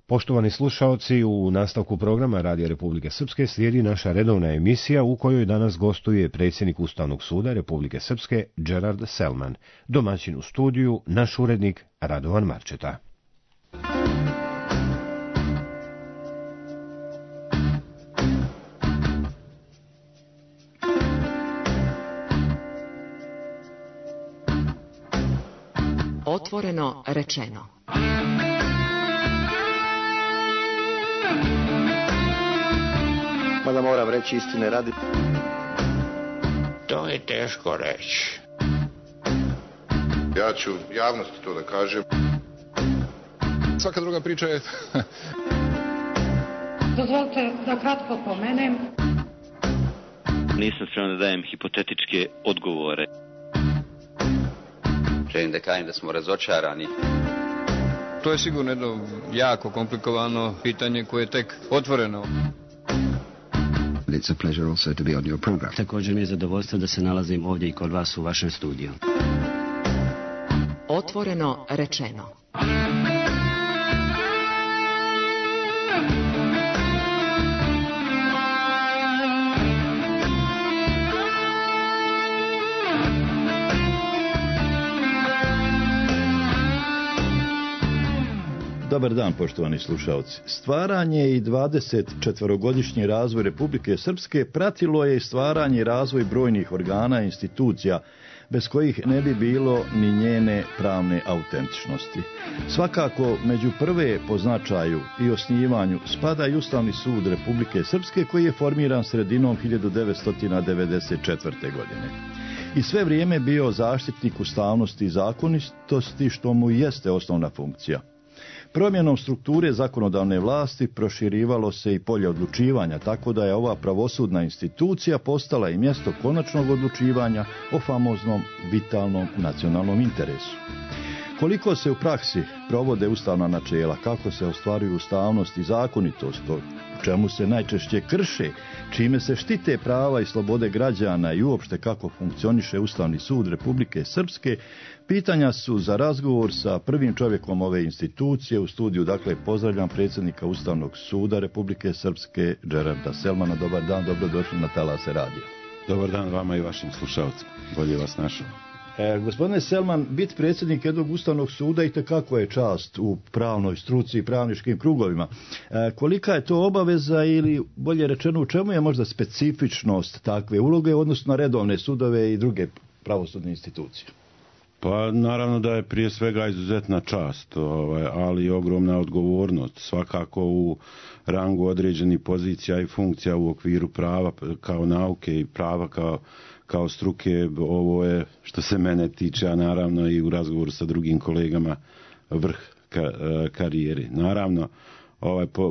Poštovani slušaoci, u nastavku programa Radija Republike Srpske slijedi naša redovna emisija u kojoj danas gostuje predsjednik Ustavnog suda Republike Srpske Gerard Selman, domaćin u studiju naš urednik Radovan Marčeta. Otvoreno rečeno. Mada moram reći istine radi. To je teško reći. Ja ću javnosti to da kažem. Svaka druga priča je... Dozvolite da kratko pomenem. Nisam spreman da dajem hipotetičke odgovore. Želim da kažem da smo razočarani. To je sigurno jedno jako komplikovano pitanje koje je tek otvoreno. It's a pleasure also to be on your program. Također mi je zadovoljstvo da se nalazim ovdje i kod vas u vašem studiju. Otvoreno rečeno. Dobar dan, poštovani slušalci. Stvaranje i 24-godišnji razvoj Republike Srpske pratilo je stvaranje i razvoj brojnih organa i institucija, bez kojih ne bi bilo ni njene pravne autentičnosti. Svakako, među prve po značaju i osnivanju spada i Ustavni sud Republike Srpske, koji je formiran sredinom 1994. godine. I sve vrijeme bio zaštitnik ustavnosti i zakonitosti, što mu jeste osnovna funkcija. Promjenom strukture zakonodavne vlasti proširivalo se i polje odlučivanja, tako da je ova pravosudna institucija postala i mjesto konačnog odlučivanja o famoznom vitalnom nacionalnom interesu. Koliko se u praksi provode ustavna načela, kako se ostvaruju ustavnost i zakonitost, u čemu se najčešće krše, čime se štite prava i slobode građana i uopšte kako funkcioniše Ustavni sud Republike Srpske, pitanja su za razgovor sa prvim čovjekom ove institucije. U studiju, dakle, pozdravljam predsjednika Ustavnog suda Republike Srpske, Gerarda Selmana. Dobar dan, dobrodošli na talase radija. Dobar dan vama i vašim slušalcima. Bolje vas našao. Gospodine Selman, biti predsjednik jednog Ustavnog suda itekako je čast u pravnoj struci i pravničkim krugovima. Kolika je to obaveza ili, bolje rečeno, u čemu je možda specifičnost takve uloge, odnosno na redovne sudove i druge pravosudne institucije? Pa naravno da je prije svega izuzetna čast, ali i ogromna odgovornost. Svakako u rangu određenih pozicija i funkcija u okviru prava kao nauke i prava kao struke, ovo je, što se mene tiče, a naravno i u razgovoru sa drugim kolegama, vrh karijeri. Naravno,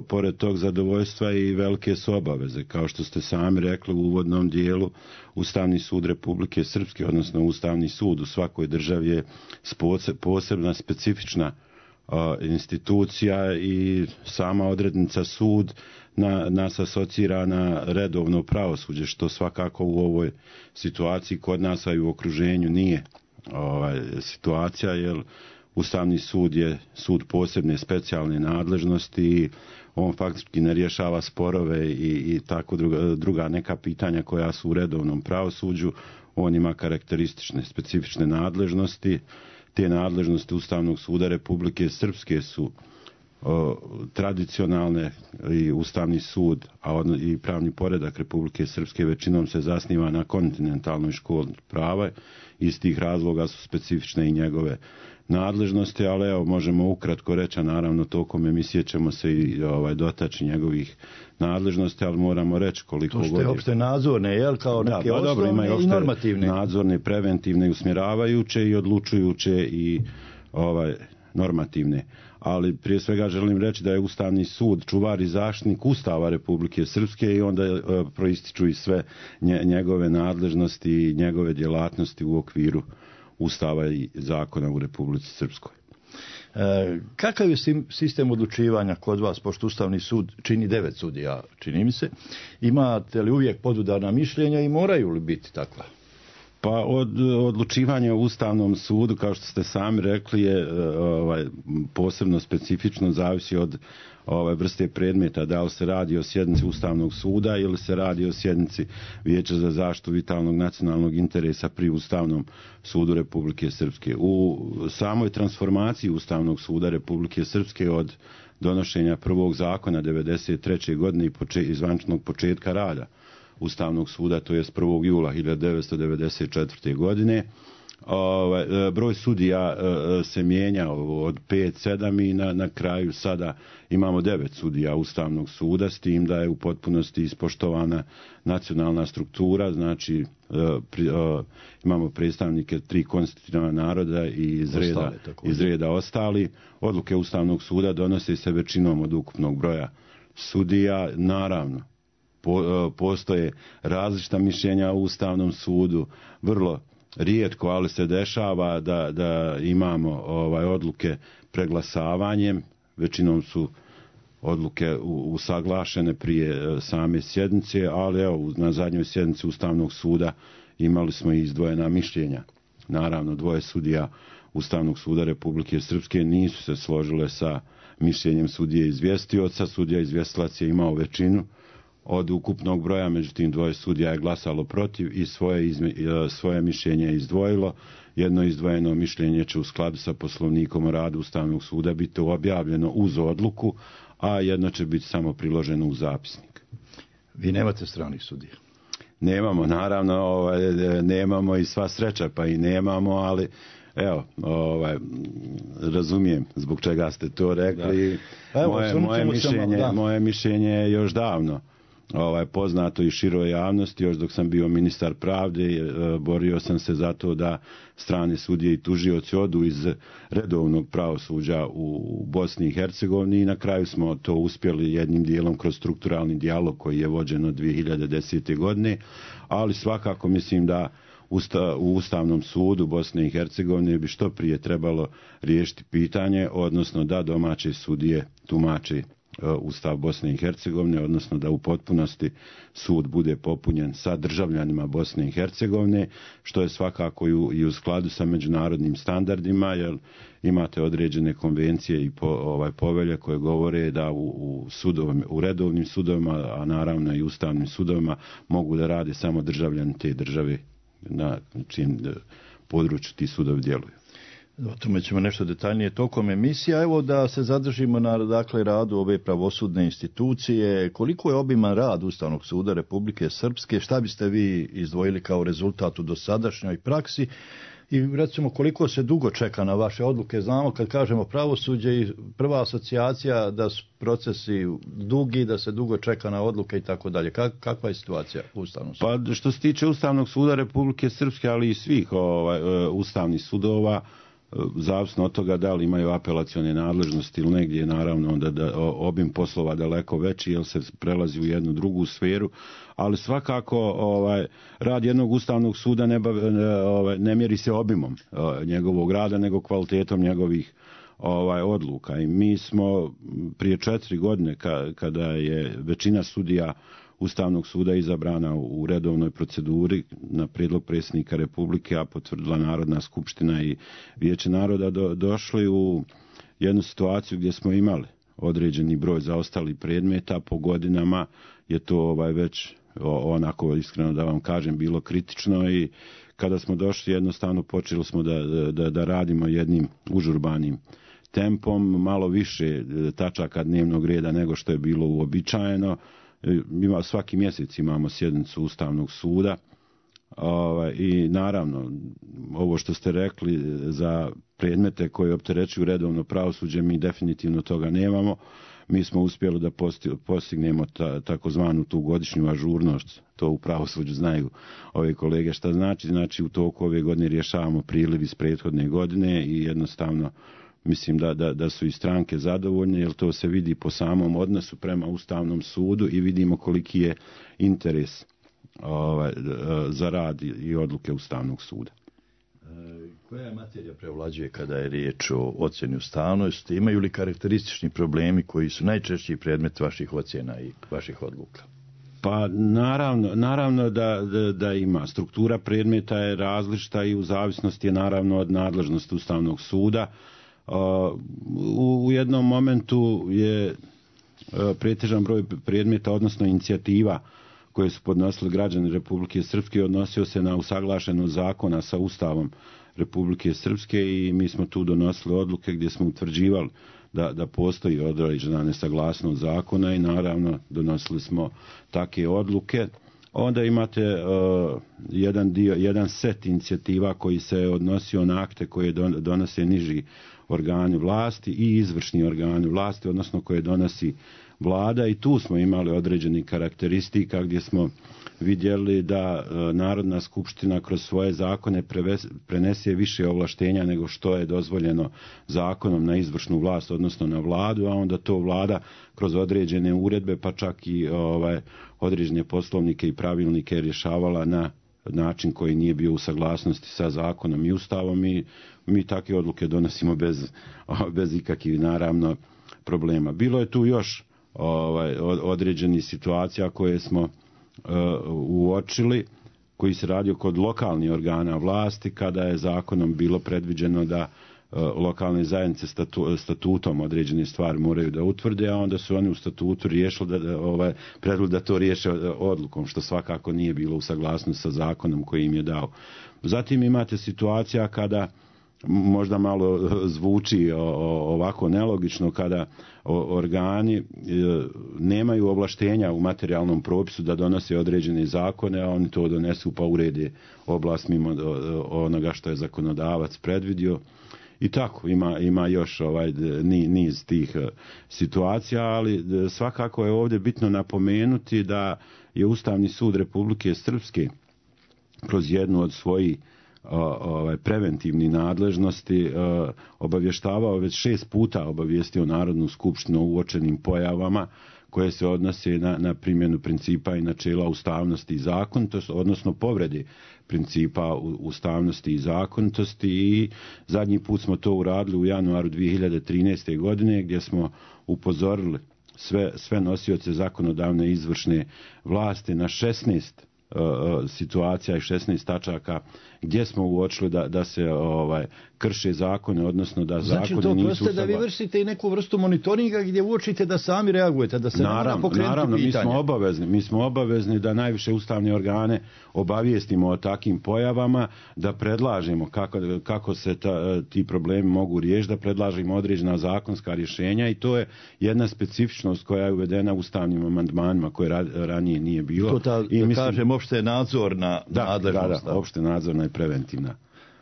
pored tog zadovoljstva i velike su obaveze. Kao što ste sami rekli u uvodnom dijelu, Ustavni sud Republike Srpske, odnosno Ustavni sud u svakoj državi je posebna, specifična institucija i sama odrednica sud nas asocira na redovno pravosuđe, što svakako u ovoj situaciji kod nas, a i u okruženju nije situacija, jer Ustavni sud je sud posebne specijalne nadležnosti i on faktički ne rješava sporove i tako druga neka pitanja koja su u redovnom pravosuđu. On ima karakteristične, specifične nadležnosti. Te nadležnosti Ustavnog suda Republike Srpske su tradicionalne i Ustavni sud, i pravni poredak Republike Srpske većinom se zasniva na kontinentalnoj školi prava. Iz tih razloga su specifične i njegove nadležnosti, ali evo, možemo ukratko reći, a naravno tokom emisije ćemo se i dotaći njegovih nadležnosti, ali moramo reći koliko god je. To što je opšte nadzorne, jel, kao neke osnovne i normativne. Nadzorne, preventivne, usmjeravaju,će i odlučujuće i normativne. Ali prije svega želim reći da je Ustavni sud čuvar i zaštitnik Ustava Republike Srpske i onda proističu i sve njegove nadležnosti i njegove djelatnosti u okviru Ustava i zakona u Republici Srpskoj. Kakav je sistem odlučivanja kod vas, pošto Ustavni sud čini 9 sudija, čini mi se? Imate li uvijek podudarna mišljenja i moraju li biti takva? Pa od odlučivanja u Ustavnom sudu, kao što ste sami rekli, je posebno specifično, zavisi od vrste predmeta, da li se radi o sjednici Ustavnog suda ili se radi o sjednici Vijeća za zaštitu vitalnog nacionalnog interesa pri Ustavnom sudu Republike Srpske. U samoj transformaciji Ustavnog suda Republike Srpske od donošenja prvog zakona 1993. godine i zvaničnog početka rada Ustavnog suda, to je 1. jula 1994. godine, broj sudija se mijenjao od 5-7 i na kraju sada imamo 9 sudija Ustavnog suda, s tim da je u potpunosti ispoštovana nacionalna struktura, znači imamo predstavnike 3 konstitutivna naroda i iz reda ostali. Odluke Ustavnog suda donose se većinom od ukupnog broja sudija, naravno. Postoje različita mišljenja u Ustavnom sudu, vrlo rijetko, ali se dešava da imamo odluke preglasavanjem, većinom su odluke usaglašene prije same sjednice, ali evo, na zadnjoj sjednici Ustavnog suda imali smo i izdvojena mišljenja. Naravno, 2 sudija Ustavnog suda Republike Srpske nisu se složile sa mišljenjem sudije izvjestioca. Sudija izvjestilac je imao većinu od ukupnog broja, međutim 2 sudija je glasalo protiv i svoje mišljenje je izdvojilo. Jedno izdvojeno mišljenje će u skladu sa Poslovnikom o radu Ustavnog suda biti objavljeno uz odluku, a jedno će biti samo priloženo u zapisnik. Vi nemate stranih sudija? Nemamo, naravno, nemamo i sva sreća pa i nemamo, ali evo, razumijem zbog čega ste to rekli. Moje mišljenje je još davno poznato i široj javnosti. Još dok sam bio ministar pravde, borio sam se za to da strane sudije i tužioci odu iz redovnog pravosuđa u Bosni i Hercegovini i na kraju smo to uspjeli jednim dijelom kroz strukturalni dijalog koji je vođen od 2010. godine, ali svakako mislim da u Ustavnom sudu Bosne i Hercegovine bi što prije trebalo riješiti pitanje, odnosno da domaće sudije tumače Ustav Bosne i Hercegovine, odnosno da u potpunosti sud bude popunjen sa državljanima Bosne i Hercegovine, što je svakako i u skladu sa međunarodnim standardima, jer imate određene konvencije i povelje koje govore da u redovnim sudovima, a naravno i ustavnim sudovima, mogu da rade samo državljani te države na čijem području ti sudovi djeluju. O tome ćemo nešto detaljnije tokom emisija. Evo da se zadržimo na radu ove pravosudne institucije. Koliko je obiman rad Ustavnog suda Republike Srpske? Šta biste vi izdvojili kao rezultat u dosadašnjoj praksi? I recimo koliko se dugo čeka na vaše odluke? Znamo kad kažemo pravosuđe i prva asocijacija da su procesi dugi, da se dugo čeka na odluke i tako dalje. Kakva je situacija u Ustavnom sudu? Pa što se tiče Ustavnog suda Republike Srpske, ali i svih ustavnih sudova, zavisno od toga da li imaju apelacione nadležnosti ili negdje je naravno onda obim poslova daleko veći jer se prelazi u jednu drugu sferu, ali svakako rad jednog Ustavnog suda ne mjeri se obimom njegovog rada nego kvalitetom njegovih odluka. I mi smo prije 4 godine kada je većina sudija Ustavnog suda izabrana u redovnoj proceduri na prijedlog predsjednika Republike, a potvrdila Narodna skupština i Vijeće naroda, došli u jednu situaciju gdje smo imali određeni broj zaostalih predmeta. Po godinama je to već onako, iskreno da vam kažem, bilo kritično i kada smo došli jednostavno počeli smo da radimo jednim užurbanim tempom, malo više tačaka dnevnog reda nego što je bilo uobičajeno. Svaki mjesec imamo sjednicu Ustavnog suda i naravno ovo što ste rekli za predmete koje opterećuju redovno pravosuđe, mi definitivno toga nemamo. Mi smo uspjeli da postignemo takozvanu tu godišnju ažurnost, to u pravosuđu znaju ove kolege šta znači. Znači u toku ove godine rješavamo priliv iz prethodne godine i jednostavno mislim da su i stranke zadovoljne, jer to se vidi po samom odnosu prema Ustavnom sudu i vidimo koliki je interes za rad i odluke Ustavnog suda. Koja materija prevlađuje kada je riječ o ocjeni ustavnosti? Imaju li karakteristični problemi koji su najčešći predmet vaših ocjena i vaših odluka? Pa naravno da ima. Struktura predmeta je različita i u zavisnosti je naravno od nadležnosti Ustavnog suda. U jednom momentu je pretežan broj predmeta, odnosno inicijativa koje su podnosili građani Republike Srpske, odnosio se na usaglašenost zakona sa Ustavom Republike Srpske i mi smo tu donosili odluke gdje smo utvrđivali da postoji određena nesaglasnost zakona i naravno donosili smo takve odluke. Onda imate jedan set inicijativa koji se odnosio na akte koje donose niži organi vlasti i izvršni organi vlasti, odnosno koje donosi vlada, i tu smo imali određeni karakteristika gdje smo vidjeli da Narodna skupština kroz svoje zakone prenese više ovlaštenja nego što je dozvoljeno zakonom na izvršnu vlast, odnosno na vladu, a onda to vlada kroz određene uredbe pa čak i određene poslovnike i pravilnike rješavala na način koji nije bio u saglasnosti sa zakonom i Ustavom i mi takve odluke donosimo bez ikakvih naravno problema. Bilo je tu još određenih situacija koje smo uočili, koji se radio kod lokalnih organa vlasti, kada je zakonom bilo predviđeno da lokalne zajednice statutom određene stvari moraju da utvrde, a onda su oni u statutu riješili predlog da to riješe odlukom, što svakako nije bilo u saglasnosti sa zakonom koji im je dao. Zatim imate situacija kada možda malo zvuči ovako nelogično, kada organi nemaju ovlaštenja u materijalnom propisu da donose određene zakone, a oni to donesu pa urede oblast mimo onoga što je zakonodavac predvidio. I tako, ima još niz tih situacija, ali svakako je ovdje bitno napomenuti da je Ustavni sud Republike Srpske kroz jednu od svojih preventivni nadležnosti obavještavao, već 6 puta obavijestio Narodnu skupštinu o uočenim pojavama koje se odnose na primjenu principa i načela ustavnosti i zakonitosti, odnosno povrede principa ustavnosti i zakonitosti, i zadnji put smo to uradili u januaru 2013. godine gdje smo upozorili sve nosioce zakonodavne i izvršne vlasti na 16 situacija i 16 tačaka gdje smo uočili da se krše zakone, odnosno da zakoni nisu... Znači to proste da vi vršite i neku vrstu monitoringa gdje uočite da sami reagujete, da se ne mora pokrenuti pitanje. Mi smo obavezni da najviše ustavne organe obavijestimo o takvim pojavama, da predlažemo kako se ti problemi mogu riješiti, da predlažemo određena zakonska rješenja, i to je jedna specifičnost koja je uvedena ustavnim amandmanima koje ranije nije bilo. To kažem opšte nadzorna nadležnost. Da, opšte nadzorna i preventivna.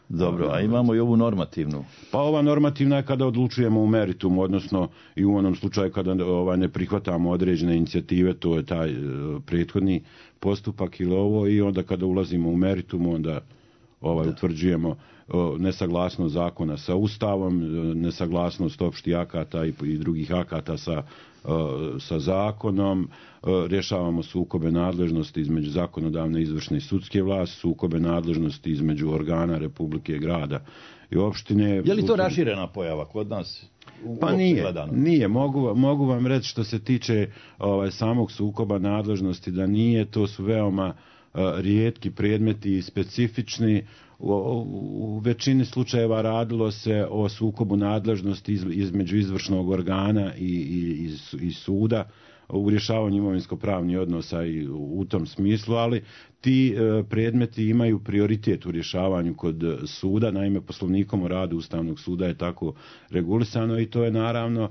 Dobro, a imamo i ovu normativnu. Pa ova normativna je kada odlučujemo u meritumu, odnosno i u onom slučaju kada ne prihvatamo određene inicijative, to je taj prethodni postupak ili ovo, i onda kada ulazimo u meritumu, onda utvrđujemo nesaglasnost zakona sa Ustavom, nesaglasnost opštih akata i drugih akata sa zakonom, rješavamo sukobe nadležnosti između zakonodavne, izvršne i sudske vlasti, sukobe nadležnosti između organa Republike, grada i opštine. Je li to raširena pojava kod nas? Pa nije. Mogu vam reći što se tiče samog sukoba nadležnosti da nije, to su veoma rijetki predmeti i specifični. U većini slučajeva radilo se o sukobu nadležnosti između izvršnog organa i suda u rješavanju imovinsko-pravnih odnosa i u tom smislu, ali ti predmeti imaju prioritet u rješavanju kod suda. Naime, Poslovnikom o radu Ustavnog suda je tako regulisano i to je naravno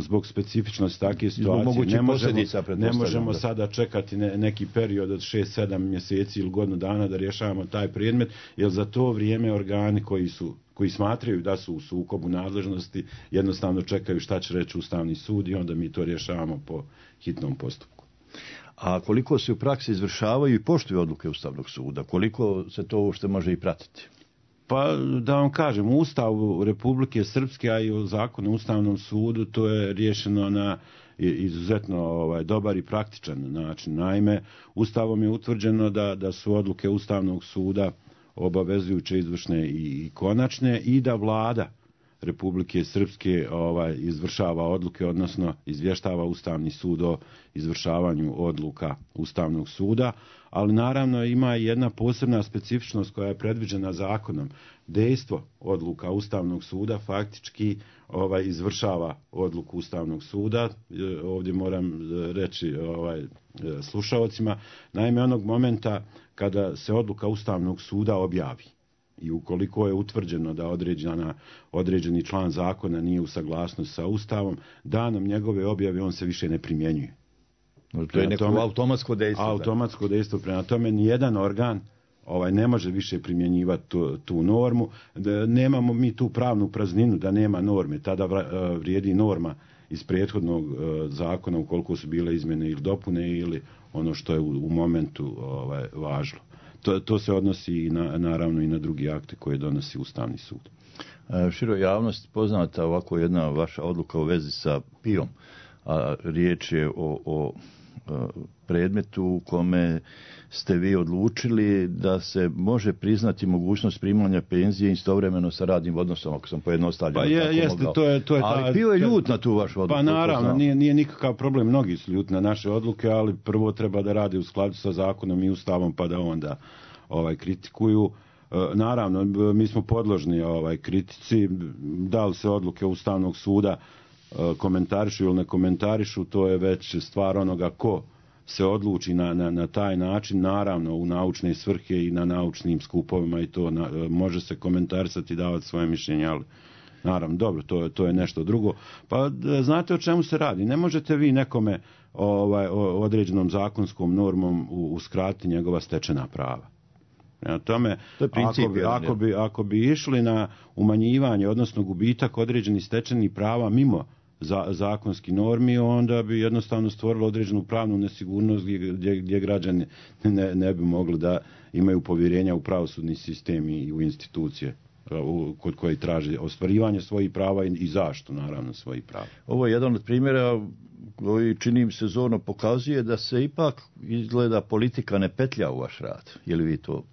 zbog specifičnosti takve situacije. Ne možemo sada čekati neki period od 6-7 mjeseci ili godinu dana da rješavamo taj predmet, jer za to vrijeme organi koji smatraju da su u sukobu nadležnosti jednostavno čekaju šta će reći Ustavni sud i onda mi to rješavamo po hitnom postupku. A koliko se u praksi izvršavaju i poštuju odluke Ustavnog suda? Koliko se to uopšte može i pratiti? Pa da vam kažem, u Ustavu Republike Srpske, a i u Zakonu o Ustavnom sudu, to je riješeno na izuzetno dobar i praktičan način. Naime, Ustavom je utvrđeno da su odluke Ustavnog suda obavezujuće, izvršne i konačne, i da vlada Republike Srpske izvršava odluke, odnosno izvještava Ustavni sud o izvršavanju odluka Ustavnog suda, ali naravno ima jedna posebna specifičnost koja je predviđena zakonom. Dejstvo odluka Ustavnog suda faktički izvršava odluku Ustavnog suda. Ovdje moram reći slušaocima, naime onog momenta kada se odluka Ustavnog suda objavi i ukoliko je utvrđeno da određeni član zakona nije u saglasnosti sa Ustavom, danom njegove objave on se više ne primjenjuje. To je neko automatsko dejstvo. Automatsko dejstvo, prema tome nijedan organ ne može više primjenjivati tu normu. Nemamo mi tu pravnu prazninu da nema norme, tada vrijedi norma iz prethodnog zakona ukoliko su bile izmjene ili dopune ili ono što je u momentu važilo. To se odnosi naravno i na drugi akte koje donosi Ustavni sud. Široj javnosti poznata ovako jedna vaša odluka u vezi sa PIO-om, a riječ je o predmetu u kome ste vi odlučili da se može priznati mogućnost primanja penzije istovremeno sa radnim odnosom, ako sam pojednostavljeno to je ali PIO je ljut na tu vašu odluku. Pa naravno, nije nikakav problem, mnogi su ljut na naše odluke, ali prvo treba da radi u skladu sa zakonom i Ustavom pa da onda kritikuju. Naravno, mi smo podložni kritici, da li se odluke Ustavnog suda komentarišu ili ne komentarišu, to je već stvar onoga ko se odluči na taj način, naravno u naučne svrhe i na naučnim skupovima i to može se komentarisati i davati svoje mišljenje, ali naravno, dobro, to je nešto drugo. Pa znate o čemu se radi? Ne možete vi nekome određenom zakonskom normom uskratiti njegova stečena prava. Prema tome, ako bi išli na umanjivanje, odnosno gubitak određenih stečenih prava mimo zakonski normi, onda bi jednostavno stvorilo određenu pravnu nesigurnost gdje građani ne bi mogli da imaju povjerenja u pravosudni sistem i u institucije kod koji traže ostvarivanje svojih prava i zaštitu naravno svojih prava. Ovo je jedan od primjera koji čini mi se zorno pokazuje da se ipak izgleda politika ne petlja u vaš rad. Je li vi to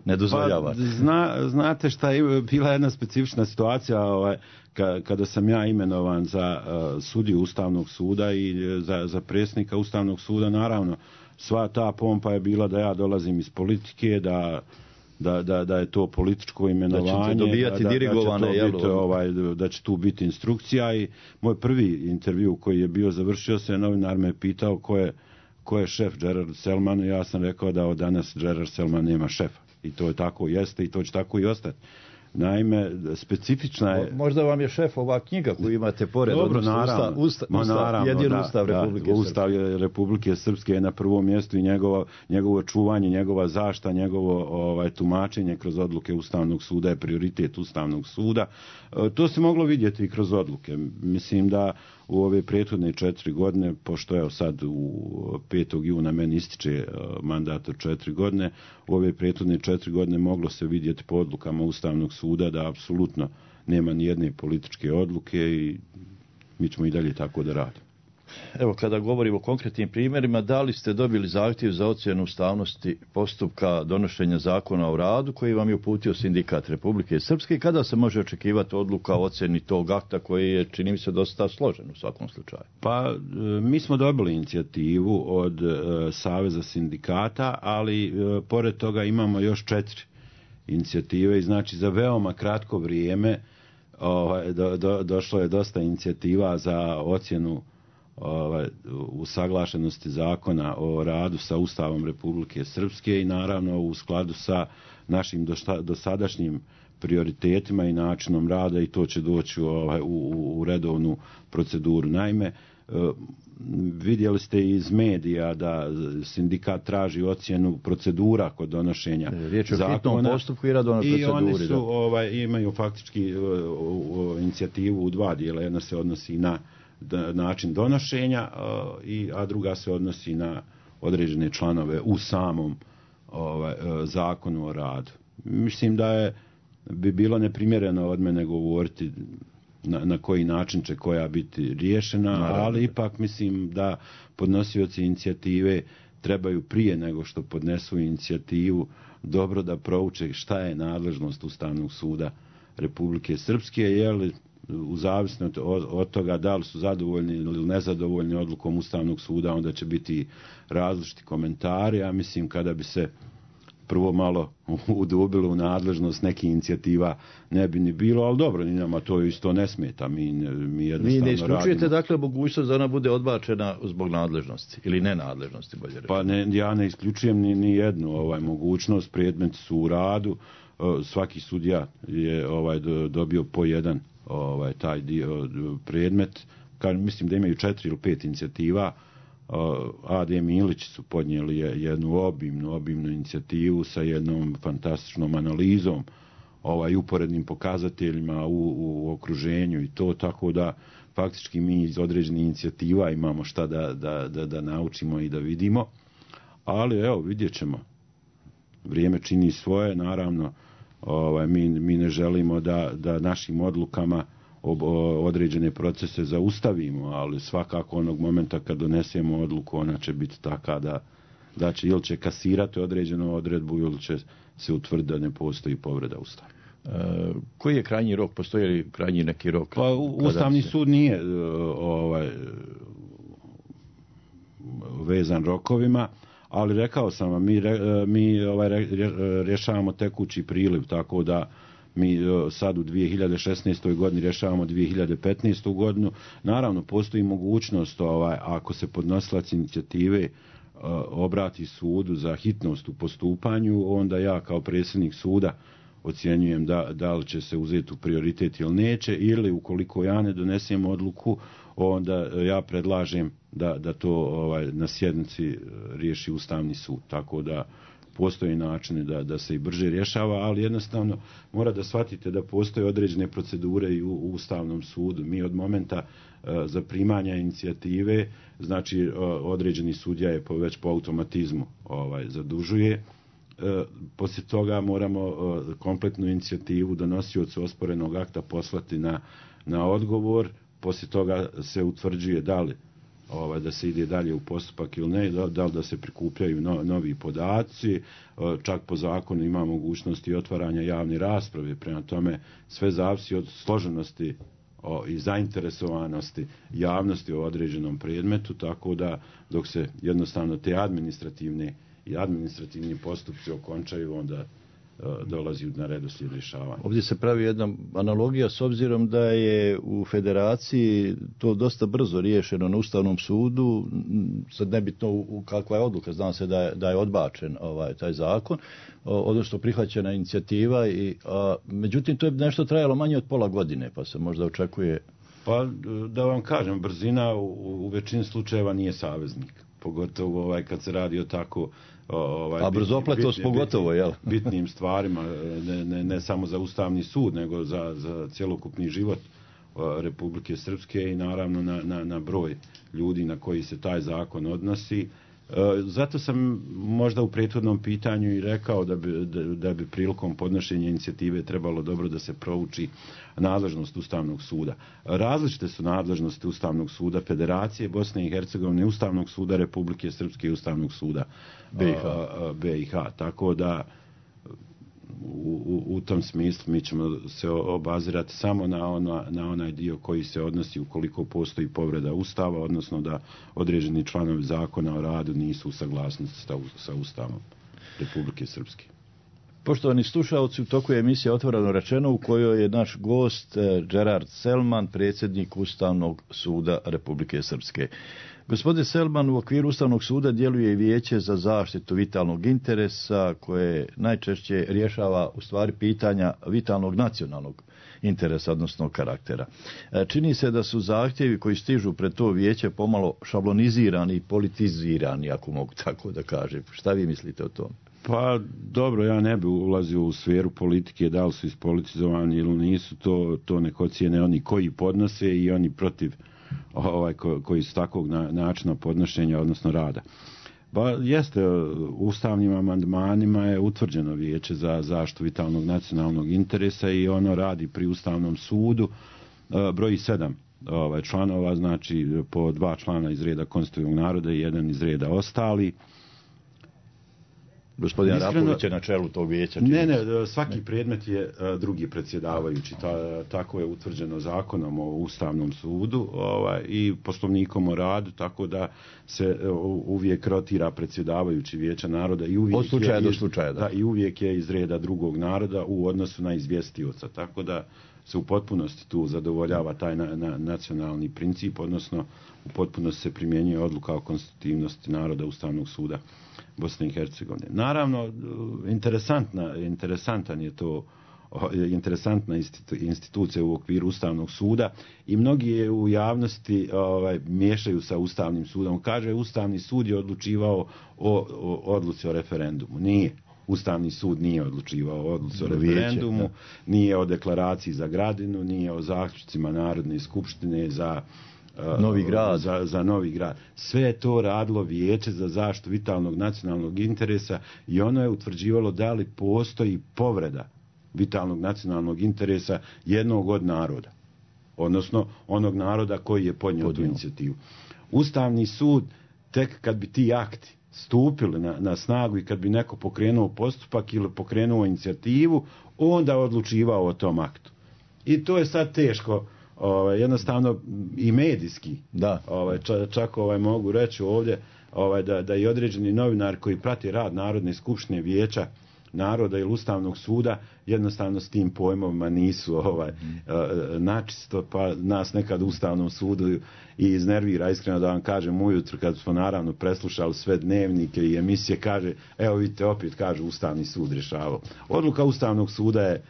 ne dozvoljavate? Pa, znate šta je bila jedna specifična situacija kada sam ja imenovan za sudiju Ustavnog suda i za predsjednika Ustavnog suda. Naravno, sva ta pompa je bila da ja dolazim iz politike, da je to političko imenovanje, da ćete dobijati dirigovane, da će tu biti instrukcija. I moj prvi intervju koji je bio završio se, novinar me pitao ko je šef Gerard Selman, i ja sam rekao da od danas Gerard Selman nema šefa. I to je tako jeste i to će tako i ostati. Naime, specifična je... Možda vam je šef ova knjiga koju imate pored. Dobro, naravno. Ustav Republike Srpske. Ustav Republike Srpske je na prvom mjestu i njegovo čuvanje, njegova zaštita, njegovo tumačenje kroz odluke Ustavnog suda je prioritet Ustavnog suda. To se moglo vidjeti i kroz odluke. Mislim da u ove prethodne 4 godine, pošto je sad u 5. juna meni ističe mandat od 4 godine, u ove prethodne 4 godine moglo se vidjeti po odlukama Ustavnog suda da apsolutno nema ni jedne političke odluke i mi ćemo i dalje tako da radimo. Evo, kada govorimo o konkretnim primjerima, da li ste dobili zahtjev za ocjenu ustavnosti postupka donošenja zakona o radu koji vam je uputio Sindikat Republike Srpske i kada se može očekivati odluka o ocjeni tog akta koji je, čini mi se, dosta složen u svakom slučaju? Pa, mi smo dobili inicijativu od Saveza sindikata, ali pored toga imamo još 4 inicijative i znači za veoma kratko vrijeme došlo je dosta inicijativa za ocjenu usaglašenosti zakona o radu sa Ustavom Republike Srpske i naravno u skladu sa našim dosadašnjim prioritetima i načinom rada i to će doći u redovnu proceduru. Naime, vidjeli ste iz medija da sindikat traži ocjenu procedura kod donošenja zakona. Riječ je o hitnom postupku i radovnoj proceduri. I oni su, imaju faktički inicijativu u 2 dijela. Jedna se odnosi na način donošenja, a druga se odnosi na određene članove u samom zakonu o radu. Mislim da bi bilo neprimjereno od mene govoriti na koji način će koja biti riješena, ali ipak mislim da podnosioci inicijative trebaju prije nego što podnesu inicijativu dobro da prouče šta je nadležnost Ustavnog suda Republike Srpske, jer u zavisnosti od toga da li su zadovoljni ili nezadovoljni odlukom Ustavnog suda, onda će biti različiti komentari. Ja mislim kada bi se prvo malo udubilo u nadležnost nekih inicijativa ne bi ni bilo, ali dobro, ni nama to isto ne smeta. Mi jednostavno Vi ne isključujete radimo. dakle mogućnost da ona bude odbačena zbog nadležnosti ili nenadležnosti, bolje reći? Pa ja ne isključujem ni jednu mogućnost. Predmeti su u radu, svaki sudija je dobio po jedan taj dio predmet. Mislim da imaju 4 ili 5 inicijativa. A.D. Milić su podnijeli jednu obimnu inicijativu sa jednom fantastičnom analizom, uporednim pokazateljima u okruženju i to, tako da faktički mi iz određenih inicijativa imamo šta da naučimo i da vidimo, ali evo, vidjet ćemo. Vrijeme čini svoje, naravno, mi ne želimo da našim odlukama određene procese zaustavimo, ali svakako onog momenta kad donesemo odluku, ona će biti taka da će ili će kasirati određenu odredbu ili će se utvrditi da ne postoji povreda Ustava. Koji je krajnji rok? Postoji li krajnji neki rok? Pa Ustavni sud nije vezan rokovima, ali rekao sam vam, mi rješavamo tekući priliv, tako da mi sad u 2016. godini rješavamo 2015. godinu. Naravno, postoji mogućnost, ako se podnosilac inicijative obrati sudu za hitnost u postupanju, onda ja kao predsjednik suda ocjenjujem da li će se uzeti u prioritet ili neće, ili ukoliko ja ne donesem odluku, onda ja predlažem da to na sjednici riješi Ustavni sud. Tako da postoje načini da se i brže rješava, ali jednostavno mora da shvatite da postoje određene procedure i u Ustavnom sudu. Mi od momenta zaprimanja inicijative, znači određeni sudija je već po automatizmu zadužuje. Poslije toga moramo kompletnu inicijativu donosiocu osporenog akta poslati na odgovor. Poslije toga se utvrđuje da li da se ide dalje u postupak ili ne, da li da se prikupljaju novi podaci, čak po zakonu ima mogućnosti otvaranja javne rasprave, prema tome sve zavisi od složenosti i zainteresovanosti javnosti o određenom predmetu, tako da dok se jednostavno te administrativni postupci okončaju, onda dolazi na redoslijed rješavanja. Ovdje se pravi jedna analogija s obzirom da je u federaciji to dosta brzo riješeno na Ustavnom sudu, sad nebitno kakva je odluka, znam se da je odbačen taj zakon, odnosno prihvaćena inicijativa, međutim to je nešto trajalo manje od pola godine, pa se možda očekuje... Pa da vam kažem, brzina u većini slučajeva nije saveznik, pogotovo kad se radi o tako a brzopletost pogotovo, jel? Bitnim stvarima, ne samo za Ustavni sud, nego za cjelokupni život Republike Srpske i naravno na broj ljudi na koji se taj zakon odnosi. Zato sam možda u prethodnom pitanju i rekao da bi prilikom podnošenja inicijative trebalo dobro da se prouči nadležnost Ustavnog suda. Različite su nadležnosti Ustavnog suda Federacije Bosne i Hercegovine, Ustavnog suda Republike Srpske i Ustavnog suda BiH. Tako da u tom smislu mi ćemo se obazirati samo na onaj dio koji se odnosi ukoliko postoji povreda Ustava, odnosno da određeni članovi zakona o radu nisu u saglasnosti sa Ustavom Republike Srpske. Poštovani slušalci, u toku je emisija Otvoreno rečeno u kojoj je naš gost Gerard Selman, predsjednik Ustavnog suda Republike Srpske. Gospodin Selman, u okviru Ustavnog suda djeluje i Vijeće za zaštitu vitalnog interesa koje najčešće rješava u stvari pitanja vitalnog nacionalnog interesa, odnosno karaktera. Čini se da su zahtjevi koji stižu pred to vijeće pomalo šablonizirani i politizirani, ako mogu tako da kažem. Šta vi mislite o tome? Pa dobro, ja ne bi ulazio u sferu politike, da li su ispolitizovani ili nisu, to nek ocijene oni koji podnose i oni protiv koji su takvog načina podnošenja, odnosno rada. Pa jeste, ustavnim amandmanima je utvrđeno Vijeće za zaštitu vitalnog nacionalnog interesa i ono radi pri Ustavnom sudu, broji 7 članova, znači po 2 člana iz reda konstitutivnog naroda i 1 iz reda ostali. Gospodin Arapović je na čelu tog vijeća. Ne, svaki predmet je drugi predsjedavajući. Tako je utvrđeno zakonom o Ustavnom sudu i poslovnikom o radu, tako da se uvijek rotira predsjedavajući Vijeća naroda i uvijek od slučaja do slučaja. Da, i uvijek je iz reda drugog naroda u odnosu na izvjestioca. Tako da se u potpunosti tu zadovoljava taj nacionalni princip, odnosno u potpunosti se primjenjuje odluka o konstitutivnosti naroda Ustavnog suda Bosne i Hercegovine. Naravno, interesantna institucija u okviru Ustavnog suda i mnogi je u javnosti miješaju sa Ustavnim sudom. Kaže, Ustavni sud je odlučivao o odluci o referendumu. Nije. Ustavni sud nije odlučivao o odluci o referendumu, nije o deklaraciji za Gradinu, nije o zaključcima Narodne skupštine za Novi Grad. Sve je to radilo Vijeće za zaštitu vitalnog nacionalnog interesa i ono je utvrđivalo da li postoji povreda vitalnog nacionalnog interesa jednog od naroda, odnosno onog naroda koji je podnio tu inicijativu. Ustavni sud, tek kad bi ti akti stupili na snagu i kad bi neko pokrenuo postupak ili pokrenuo inicijativu, onda odlučivao o tom aktu. I to je sad teško, jednostavno i medijski. Da. Čak mogu reći ovdje da i određeni novinar koji prati rad Narodne skupštine, Vijeća naroda ili Ustavnog suda jednostavno s tim pojmovima nisu načisto, pa nas nekad u Ustavnom sudu i iznervira, iskreno da vam kažem, ujutro kad smo naravno preslušali sve dnevnike i emisije, kaže, evo vidite, opet kaže Ustavni sud rješavao. Odluka Ustavnog suda je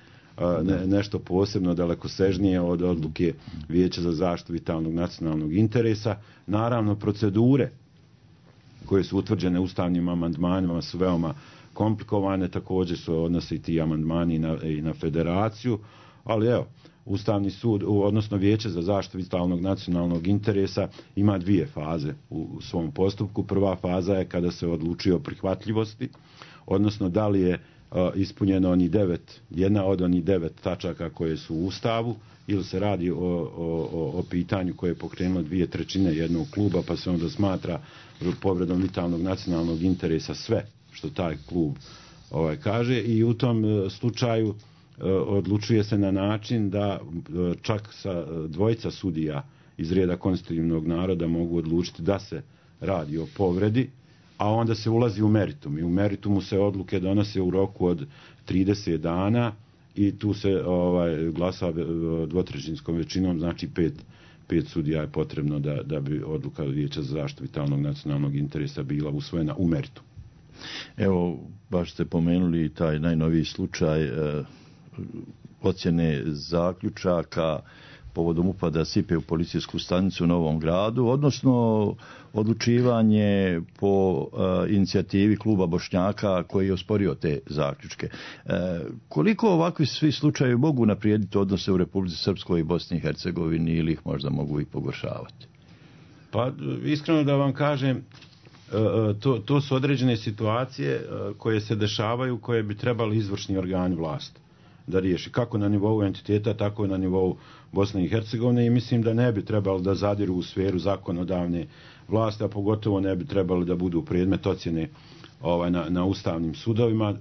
nešto posebno dalekosežnije od odluke Vijeća za zaštitu vitalnog nacionalnog interesa. Naravno, procedure koje su utvrđene ustavnim amandmanima su veoma komplikovane, također su odnose i ti amandmani i na federaciju, ali evo, Ustavni sud, odnosno Vijeće za zaštitu vitalnog nacionalnog interesa ima dvije faze u svom postupku. Prva faza je kada se odlučuje o prihvatljivosti, odnosno da li je ispunjeno jedna od onih 9 tačaka koje su u Ustavu, ili se radi o pitanju koje je pokrenulo 2/3 jednog kluba, pa se onda smatra povredom vitalnog nacionalnog interesa sve što taj klub kaže, i u tom slučaju odlučuje se na način da čak sa dvojica sudija iz reda konstitutivnog naroda mogu odlučiti da se radi o povredi, a onda se ulazi u meritum. I u meritumu se odluke donose u roku od 30 dana i tu se glasa dvotrećinskom većinom, znači 5 sudija je potrebno da bi odluka Vijeća za zaštitu vitalnog nacionalnog interesa bila usvojena u meritum. Evo, baš ste pomenuli taj najnoviji slučaj ocjene zaključaka povodom upada Sipe u policijsku stanicu u Novom Gradu, odnosno odlučivanje po inicijativi kluba Bošnjaka koji je osporio te zaključke. Koliko ovakvi svi slučajevi mogu naprijediti odnose u Republici Srpskoj i Bosni i Hercegovini ili ih možda mogu i pogoršavati? Pa, iskreno da vam kažem, to su određene situacije koje se dešavaju, koje bi trebali izvršni organi vlasti da riješi, kako na nivou entiteta, tako i na nivou Bosne i Hercegovine, i mislim da ne bi trebalo da zadiru u sferu zakonodavne vlasti, a pogotovo ne bi trebali da budu predmet ocjene na ustavnim sudovima.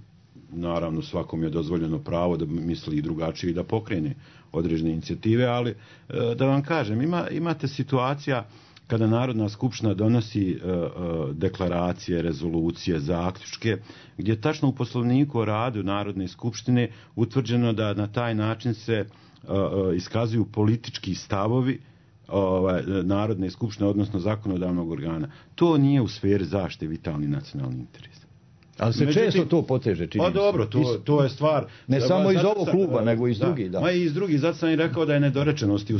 Naravno, svakom je dozvoljeno pravo da misli i drugačije i da pokrene određene inicijative, ali da vam kažem, imate situacija kada Narodna skupština donosi deklaracije, rezolucije, zaključke, gdje je tačno u Poslovniku o radu Narodne skupštine utvrđeno da na taj način se iskazuju politički stavovi Narodne skupštine, odnosno zakonodavnog organa. To nije u sferi zaštite vitalnih nacionalnih interesa. Ali se često to poteže, čini se. Pa dobro, to je stvar. Ne samo iz ovog kluba, nego i iz drugih. Ma i iz drugih, zato sam i rekao da je nedorečenosti u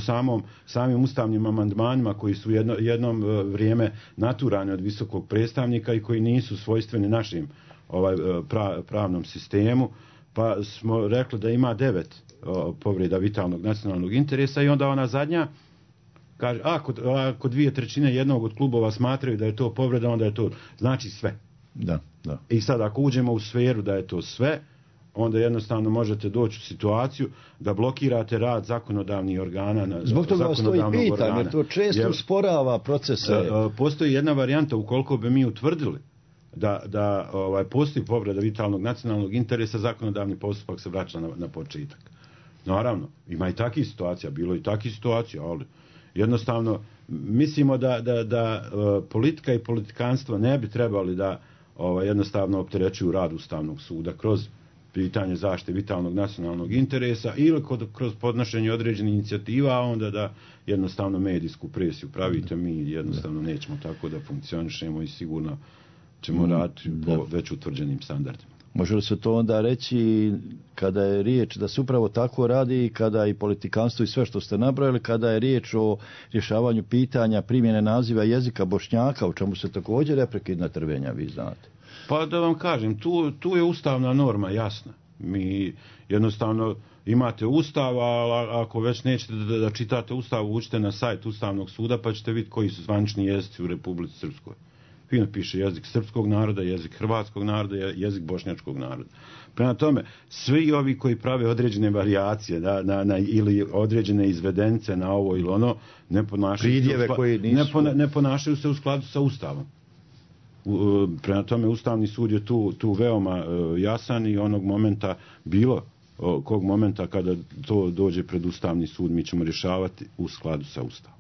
samim ustavnim amandmanima koji su jednom vrijeme naturani od visokog predstavnika i koji nisu svojstveni našim pravnom sistemu, pa smo rekli da ima 9 povreda vitalnog nacionalnog interesa i onda ona zadnja kaže, ako 2/3 jednog od klubova smatraju da je to povreda, onda je to znači sve. Da. I sad ako uđemo u sferu da je to sve, onda jednostavno možete doći u situaciju da blokirate rad zakonodavnih organa. Zbog toga vas to i pitam, jer to često usporava procese. Postoji jedna varijanta, ukoliko bi mi utvrdili da postoji povreda vitalnog nacionalnog interesa, zakonodavni postupak se vraća na početak. Naravno, ima i takih situacija, bilo i takih situacija, ali jednostavno mislimo da politika i politikanstvo ne bi trebali da jednostavno opterećuju rad Ustavnog suda kroz pitanje zaštite vitalnog nacionalnog interesa ili kroz podnošenje određenih inicijativa, a onda da jednostavno medijsku presiju pravite. Mi jednostavno nećemo tako da funkcionišemo i sigurno ćemo raditi po već utvrđenim standardima. Može li se to onda reći kada je riječ da se upravo tako radi, kada i politikanstvo i sve što ste nabrojali, kada je riječ o rješavanju pitanja primjene naziva jezika Bošnjaka, u čemu se također neprekidna trvenja, vi znate? Pa da vam kažem, tu je ustavna norma jasna. Mi jednostavno imate ustav, a ako već nećete da čitate ustav, uđite na sajt Ustavnog suda pa ćete vidjeti koji su zvanični jezici u Republici Srpskoj. Fino piše jezik srpskog naroda, jezik hrvatskog naroda, jezik bošnjačkog naroda. Prema tome, svi ovi koji prave određene varijacije ili određene izvedence na ovo ili ono, ne ponašaju se u skladu sa Ustavom. Prema tome, Ustavni sud je tu veoma jasan i onog momenta kog momenta kada to dođe pred Ustavni sud, mi ćemo rješavati u skladu sa Ustavom.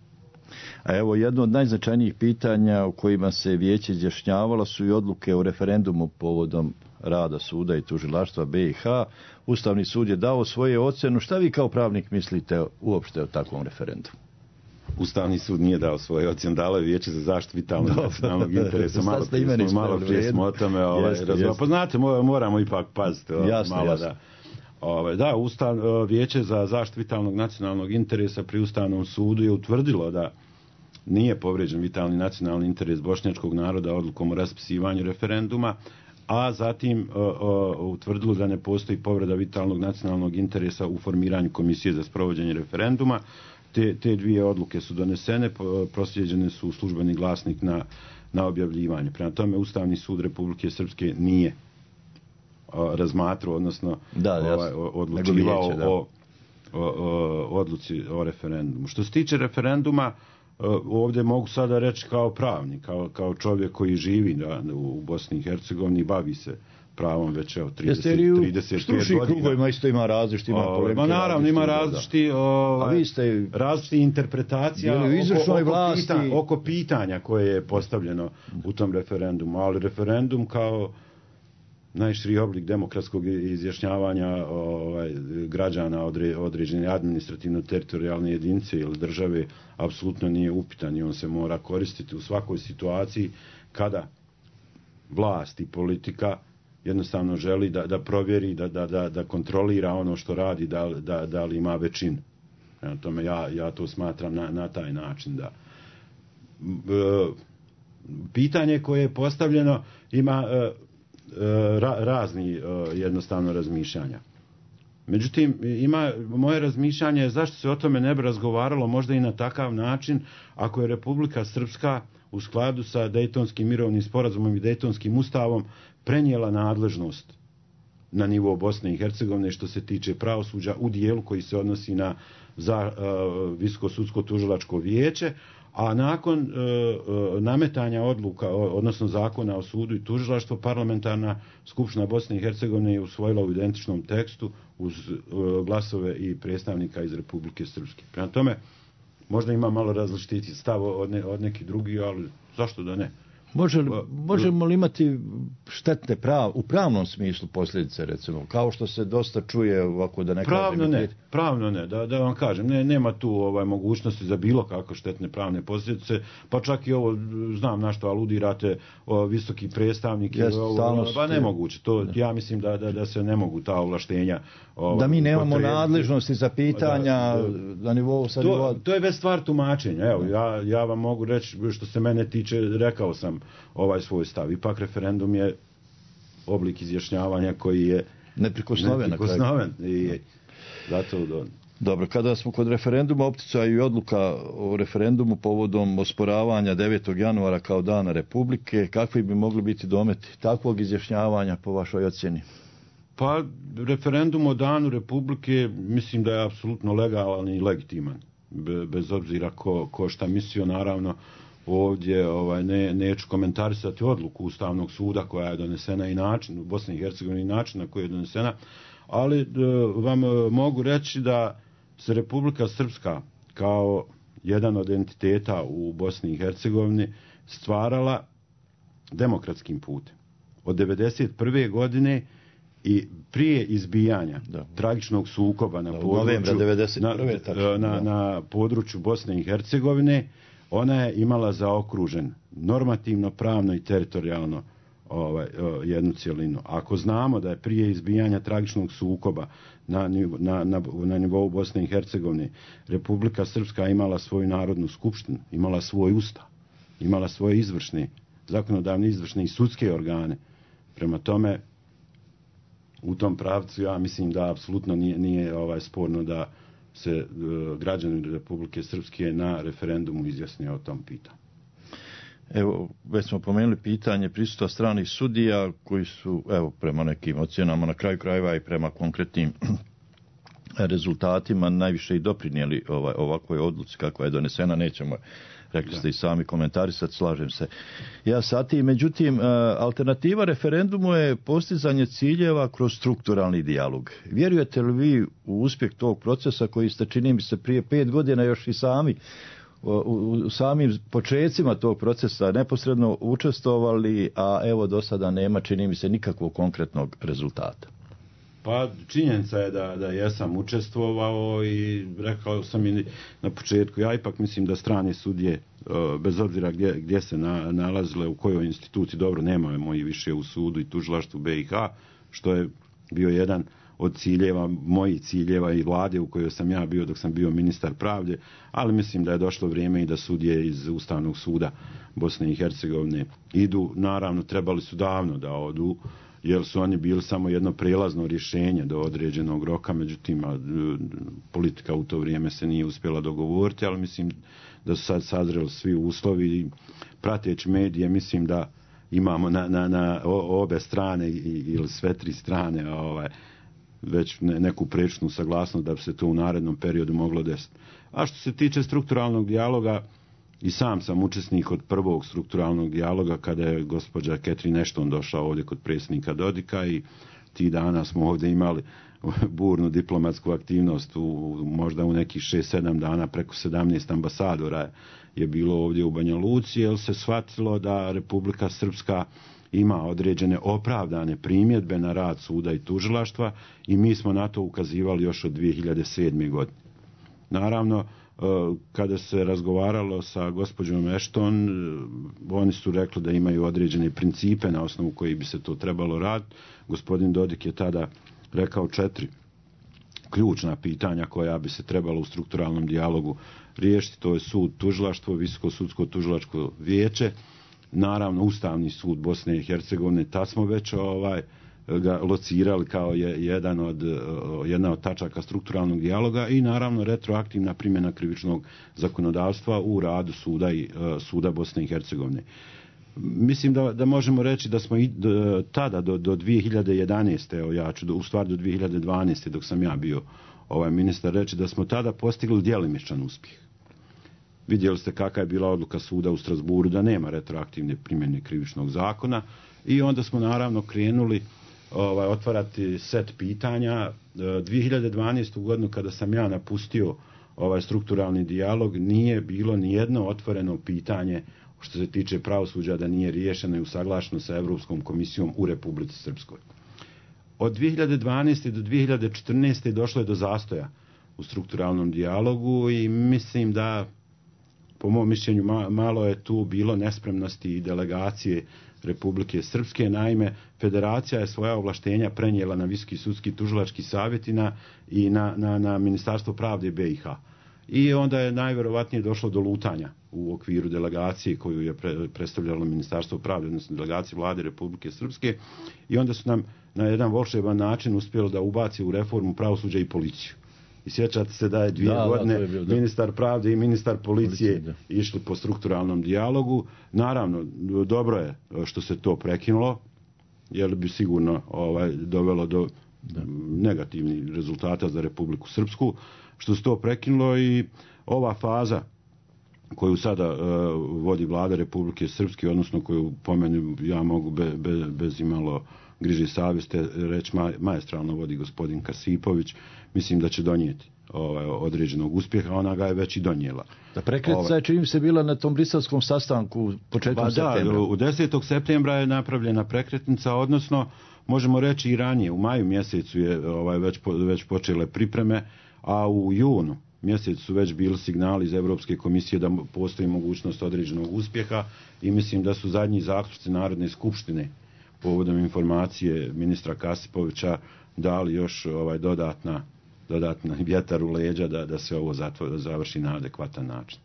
A evo, jedno od najznačajnijih pitanja u kojima se vijeće izjašnjavalo su i odluke o referendumu povodom rada suda i tužilaštva BiH. Ustavni sud je dao svoje ocjenu. Šta vi kao pravnik mislite uopšte o takvom referendumu? Ustavni sud nije dao svoje ocjene, dalo je vijeće za zaštitu vitalnog nacionalnog interesa. Malo prije smo o tome razgovarali. Pa znate, moramo ipak paziti. Jasno. Da, vijeće za zaštitu vitalnog nacionalnog interesa pri Ustavnom sudu je utvrdilo da nije povrijeđen vitalni nacionalni interes bošnjačkog naroda odlukom o raspisivanju referenduma, a zatim utvrdilo da ne postoji povreda vitalnog nacionalnog interesa u formiranju komisije za sprovođenje referenduma. Te dvije odluke su donesene, proslijeđene su u službeni glasnik na objavljivanje. Prema tome, Ustavni sud Republike Srpske nije razmatrao, odnosno odlučivao o odluci o referendumu. Što se tiče referenduma, ovdje mogu sada reći kao pravnik, kao čovjek koji živi u Bosni i Hercegovini, bavi se pravom već 35 godina. Stručnih krugovima isto ima različiti, ima polemike. Naravno, ima različiti interpretacija oko pitanja koje je postavljeno u tom referendumu, ali referendum kao najširi oblik demokratskog izjašnjavanja građana određene administrativno-teritorijalne jedinice ili države apsolutno nije upitan i on se mora koristiti u svakoj situaciji kada vlast i politika jednostavno želi da provjeri, da kontrolira ono što radi, da li ima većinu. Prema tome, ja to smatram na taj način. Da pitanje koje je postavljeno ima razni jednostavno razmišljanja. Međutim, moje razmišljanje je zašto se o tome ne bi razgovaralo možda i na takav način ako je Republika Srpska u skladu sa Dejtonskim mirovnim sporazumom i Dejtonskim ustavom prenijela nadležnost na nivo Bosne i Hercegovine što se tiče pravosuđa u dijelu koji se odnosi na Visoko sudsko tužilačko vijeće, a nakon nametanja odluka, odnosno zakona o sudu i tužilaštvu, parlamentarna skupština Bosne i Hercegovine je usvojila u identičnom tekstu uz glasove i predstavnika iz Republike Srpske. Prema tome, možda ima malo različiti stav od nekih drugih, ali zašto da ne? Možemo li imati štetne u pravnom smislu posljedice, recimo, kao što se dosta čuje ovako da ne kažem? Pravno ne, da vam kažem, nema tu mogućnosti za bilo kako štetne pravne posljedice, pa čak i ovo, znam na što aludirate, visoki predstavnik, pa nemoguće, ja mislim da se ne mogu ta ovlaštenja da mi nemamo nadležnosti za pitanja na nivou to je već stvar tumačenja. Evo, ja vam mogu reći što se mene tiče, rekao sam svoj stav. Ipak referendum je oblik izjašnjavanja koji je neprikosnoven. I zato Dobro, kada smo kod referenduma, optica i odluka o referendumu povodom osporavanja 9. januara kao dana Republike, kakvi bi mogli biti dometi takvog izjašnjavanja po vašoj ocjeni? Pa, referendum o danu Republike mislim da je apsolutno legalan i legitiman. Bez obzira ko šta mislio, naravno, ovdje neću komentarisati odluku Ustavnog suda koja je donesena i način u Bosni i Hercegovini, način na koji je donesena, ali vam mogu reći da se Republika Srpska kao jedan od entiteta u Bosni i Hercegovini stvarala demokratskim putem. Od 1991. godine i prije izbijanja tragičnog sukoba na području Bosne i Hercegovine, ona je imala zaokružen normativno, pravno i teritorijalno jednu cjelinu. Ako znamo da je prije izbijanja tragičnog sukoba na nivou Bosne i Hercegovine Republika Srpska imala svoju narodnu skupštinu, imala svoj ustav, imala svoje izvršne, zakonodavne, izvršne i sudske organe. Prema tome, u tom pravcu ja mislim da apsolutno nije sporno da se građani Republike Srpske na referendumu izjasne o tom pitanju. Evo, već smo pomenuli pitanje prisustva stranih sudija koji su, evo, prema nekim ocjenama na kraju krajeva i prema konkretnim rezultatima najviše i doprinijeli ovakvoj odluci kakva je donesena. Nećemo, rekli ste i sami, komentarisati, slažem se ja sa tim. Međutim, alternativa referendumu je postizanje ciljeva kroz strukturalni dijalog. Vjerujete li vi u uspjeh tog procesa koji ste, čini mi se, prije 5 godina još i sami u samim počecima tog procesa neposredno učestvovali, a evo do sada nema, čini mi se, nikakvog konkretnog rezultata? Pa činjenica je da jesam učestvovao i rekao sam i na početku, ja ipak mislim da strane sudije, bez obzira gdje se nalazile, u kojoj instituciji, dobro, nema moji više u sudu i tužilaštvu BiH, što je bio jedan od ciljeva, mojih ciljeva i vlade u kojoj sam ja bio dok sam bio ministar pravde, ali mislim da je došlo vrijeme i da sudije iz Ustavnog suda Bosne i Hercegovine idu. Naravno, trebali su davno da odu, jer su oni bili samo jedno prijelazno rješenje do određenog roka, međutim, politika u to vrijeme se nije uspjela dogovoriti, ali mislim da su sad sazreli svi uslovi i prateći medije, mislim da imamo na obe strane ili sve tri strane već neku prečnu saglasnost da bi se to u narednom periodu moglo desiti. A što se tiče strukturalnog dijaloga, i sam sam učesnik od prvog strukturalnog dijaloga kada je gospođa Catherine Ashton došla ovdje kod predsjednika Dodika i ti dana smo ovdje imali burnu diplomatsku aktivnost, možda u nekih 6-7 dana preko 17 ambasadora je bilo ovdje u Banja Luci, jer se shvatilo da Republika Srpska ima određene opravdane primjedbe na rad suda i tužilaštva i mi smo na to ukazivali još od 2007. godine. Naravno, kada se razgovaralo sa gospođom Ashton, oni su rekli da imaju određene principe na osnovu koji bi se to trebalo raditi. Gospodin Dodik je tada rekao 4 ključna pitanja koja bi se trebalo u strukturalnom dijalogu riješiti. To je sud, tužilaštvo, Visoko sudsko tužilačko vijeće, naravno Ustavni sud Bosne i Hercegovine. Tad smo već ga locirali kao jedna od tačaka strukturalnog dijaloga i naravno retroaktivna primjena krivičnog zakonodavstva u radu suda Bosne i Hercegovine. Mislim da možemo reći da smo i tada do 2011. Ja ću u stvari do 2012. dok sam ja bio ministar reći da smo tada postigli djelimičan uspjeh. Vidjeli ste kakva je bila odluka suda u Strasburu da nema retroaktivne primjene krivičnog zakona i onda smo naravno krenuli otvarati set pitanja. 2012. godinu kada sam ja napustio strukturalni dijalog nije bilo ni jedno otvoreno pitanje što se tiče pravosuđa da nije riješeno i usaglašeno sa Europskom komisijom u Republici Srpskoj. Od 2012. do 2014. došlo je do zastoja u strukturalnom dijalogu i mislim da, po mom mišljenju, malo je tu bilo nespremnosti i delegacije Republike Srpske. Naime, federacija je svoja ovlaštenja prenijela na Visoki sudski tužilački savjet i na Ministarstvo pravde BiH. I onda je najvjerovatnije došlo do lutanja u okviru delegacije koju je predstavljalo Ministarstvo pravde, odnosno delegacije vlade Republike Srpske, i onda su nam na jedan volšeban način uspjelo da ubaci u reformu pravosuđa i policiju. I sjećate se da je 2 godine ministar pravde i ministar policije išli po strukturalnom dijalogu. Naravno, dobro je što se to prekinulo, jer bi sigurno dovelo do negativnih rezultata za Republiku Srpsku, što se to prekinulo i ova faza koju sada vodi vlada Republike Srpske, odnosno koju po meni ja mogu bez imalo griže savjesti reći maestralno vodi gospodin Kasipović, mislim da će donijeti određenog uspjeha, ona ga je već i donijela. Da prekretnica je čini se bila na tom briselskom sastanku početkom septembra. Da, u 10. septembra je napravljena prekretnica, odnosno možemo reći i ranije, u maju mjesecu je već počele pripreme, a u junu mjesecu su već bili signali iz Europske komisije da postoji mogućnost određenog uspjeha i mislim da su zadnji zaključci Narodne skupštine povodom informacije ministra Kasipovića dali još dodatna vjetar u leđa da se ovo završi na adekvatan način.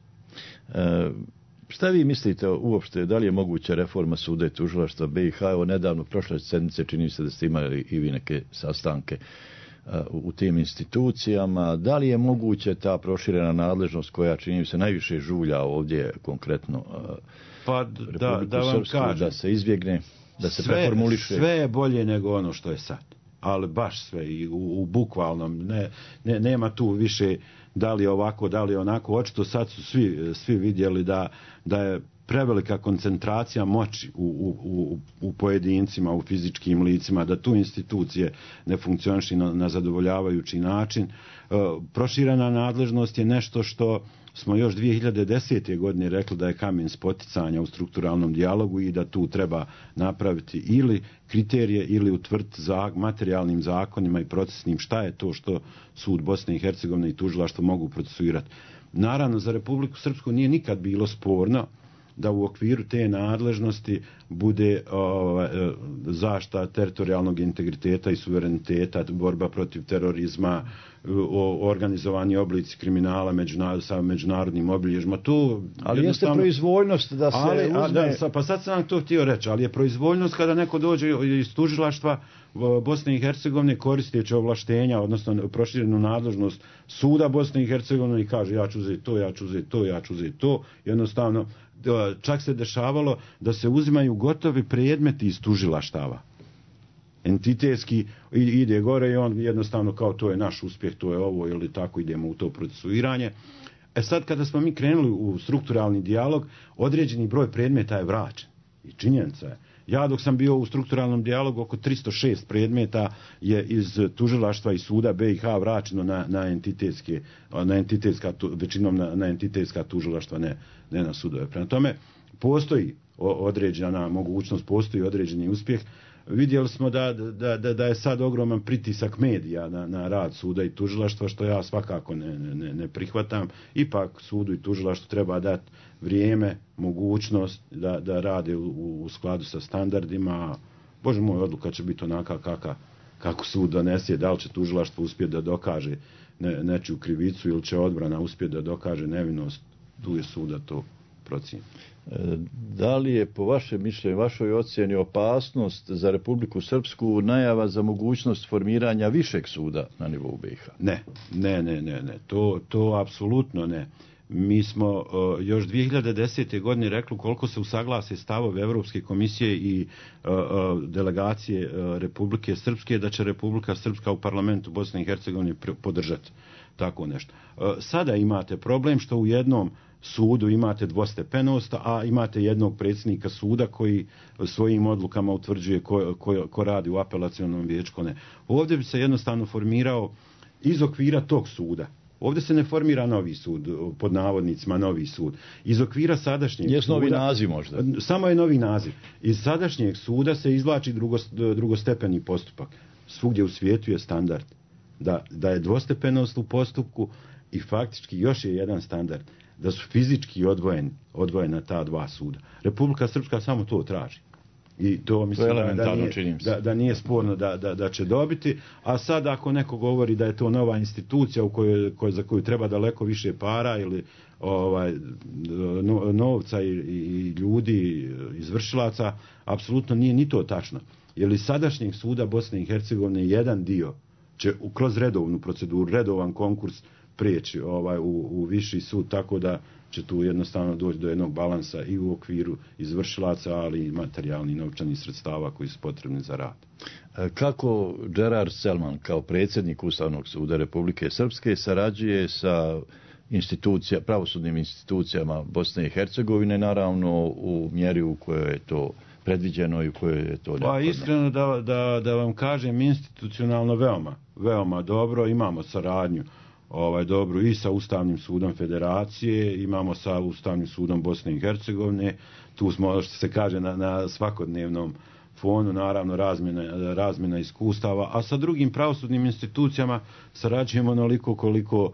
Šta vi mislite uopšte, da li je moguća reforma suda i tužilaštva BiH? Evo nedavno, prošle sedmice, čini se da ste imali i vi neke sastanke u tim institucijama. Da li je moguće ta proširena nadležnost koja čini se najviše žulja ovdje konkretno da vam kažem, da se izbjegne, da se preformuliše? Sve je bolje nego ono što je sad. Ali baš sve i u bukvalnom, nema tu više da li je ovako, da li je onako. Očito sad su svi vidjeli da je prevelika koncentracija moći u pojedincima, u fizičkim licima, da tu institucije ne funkcionišu na zadovoljavajući način. Proširena nadležnost je nešto što smo još 2010. godine rekli da je kamen spoticanja u strukturalnom dijalogu i da tu treba napraviti ili kriterije ili utvrditi materijalnim zakonima i procesnim šta je to što sud Bosne i Hercegovine i tužilaštvo mogu procesuirati. Naravno, za Republiku Srpsku nije nikad bilo sporno da u okviru te nadležnosti bude zaštita teritorijalnog integriteta i suvereniteta, borba protiv terorizma, organizovani oblici kriminala sa međunarodnim obilježjima. Ali jeste proizvoljnost da se uzme... Pa sad sam vam to htio reći, ali je proizvoljnost kada neko dođe iz tužilaštva Bosne i Hercegovine koristeći ovlaštenja, odnosno proširenu nadležnost suda Bosne i Hercegovine i kaže ja ću uzeti to, ja ću uzeti to, ja ću uzeti to. Jednostavno, čak se dešavalo da se uzimaju gotovi predmeti iz tužilaštava. Entitetski ide gore i on jednostavno kao to je naš uspjeh, to je ovo ili tako idemo u to procesuiranje. Sad kada smo mi krenuli u strukturalni dijalog, određeni broj predmeta je vraćen. I činjenica je. Ja dok sam bio u strukturalnom dijalogu, oko 306 predmeta je iz tužilaštva i suda BiH vraćeno većinom na entitetska tužilaštva, ne na sudove. Prema tome, postoji određena mogućnost, postoji određeni uspjeh. Vidjeli smo da je sad ogroman pritisak medija na rad suda i tužilaštva, što ja svakako ne prihvatam. Ipak sudu i tužilaštvu treba dati vrijeme, mogućnost da rade u skladu sa standardima. Bože moj, odluka će biti onaka kako sud donese, da li će tužilaštvo uspjeti da dokaže nečiju krivicu ili će odbrana uspjeti da dokaže nevinost, tu je suda to procjeni. Da li je po vašem mišljenju, vašoj ocjeni opasnost za Republiku Srpsku najava za mogućnost formiranja višeg suda na nivou BiH? Ne. To apsolutno ne. Mi smo još 2010. godine rekli koliko se usaglase stavovi Europske komisije i delegacije Republike Srpske da će Republika Srpska u parlamentu Bosne i Hercegovine podržati tako nešto. Sada imate problem što u jednom sudu imate dvostepenost, a imate jednog predsjednika suda koji svojim odlukama utvrđuje ko radi u apelacionom vijeću, ko ne. Ovdje bi se jednostavno formirao iz okvira tog suda. Ovdje se ne formira novi sud, pod navodnicima novi sud. Iz okvira sadašnjeg suda... Jest novi naziv možda? Samo je novi naziv. Iz sadašnjeg suda se izvlači drugostepeni postupak. Svugdje u svijetu je standard da je dvostepenost u postupku i faktički još je jedan standard da su fizički odvojena ta dva suda. Republika Srpska samo to traži. I to mislim da nije sporno da će dobiti. A sad ako neko govori da je to nova institucija za koju treba daleko više para ili novca i ljudi, izvršilaca, apsolutno nije ni to tačno. Jer iz sadašnjeg suda Bosne i Hercegovine jedan dio će kroz redovnu proceduru, redovan konkurs prijeći u viši sud, tako da će tu jednostavno doći do jednog balansa i u okviru izvršilaca, ali i materijalnih novčanih sredstava koji su potrebni za rad. Kako Gerard Selman kao predsjednik Ustavnog suda Republike Srpske sarađuje sa pravosudnim institucijama Bosne i Hercegovine, naravno u mjeri u kojoj je to predviđeno i u kojoj je to neophodno. Pa iskreno da vam kažem, institucionalno veoma dobro, imamo saradnju dobru i sa Ustavnim sudom Federacije, imamo sa Ustavnim sudom Bosne i Hercegovine, tu smo, što se kaže, na svakodnevnom fonu, naravno razmjena iskustava, a sa drugim pravosudnim institucijama sarađujemo onoliko koliko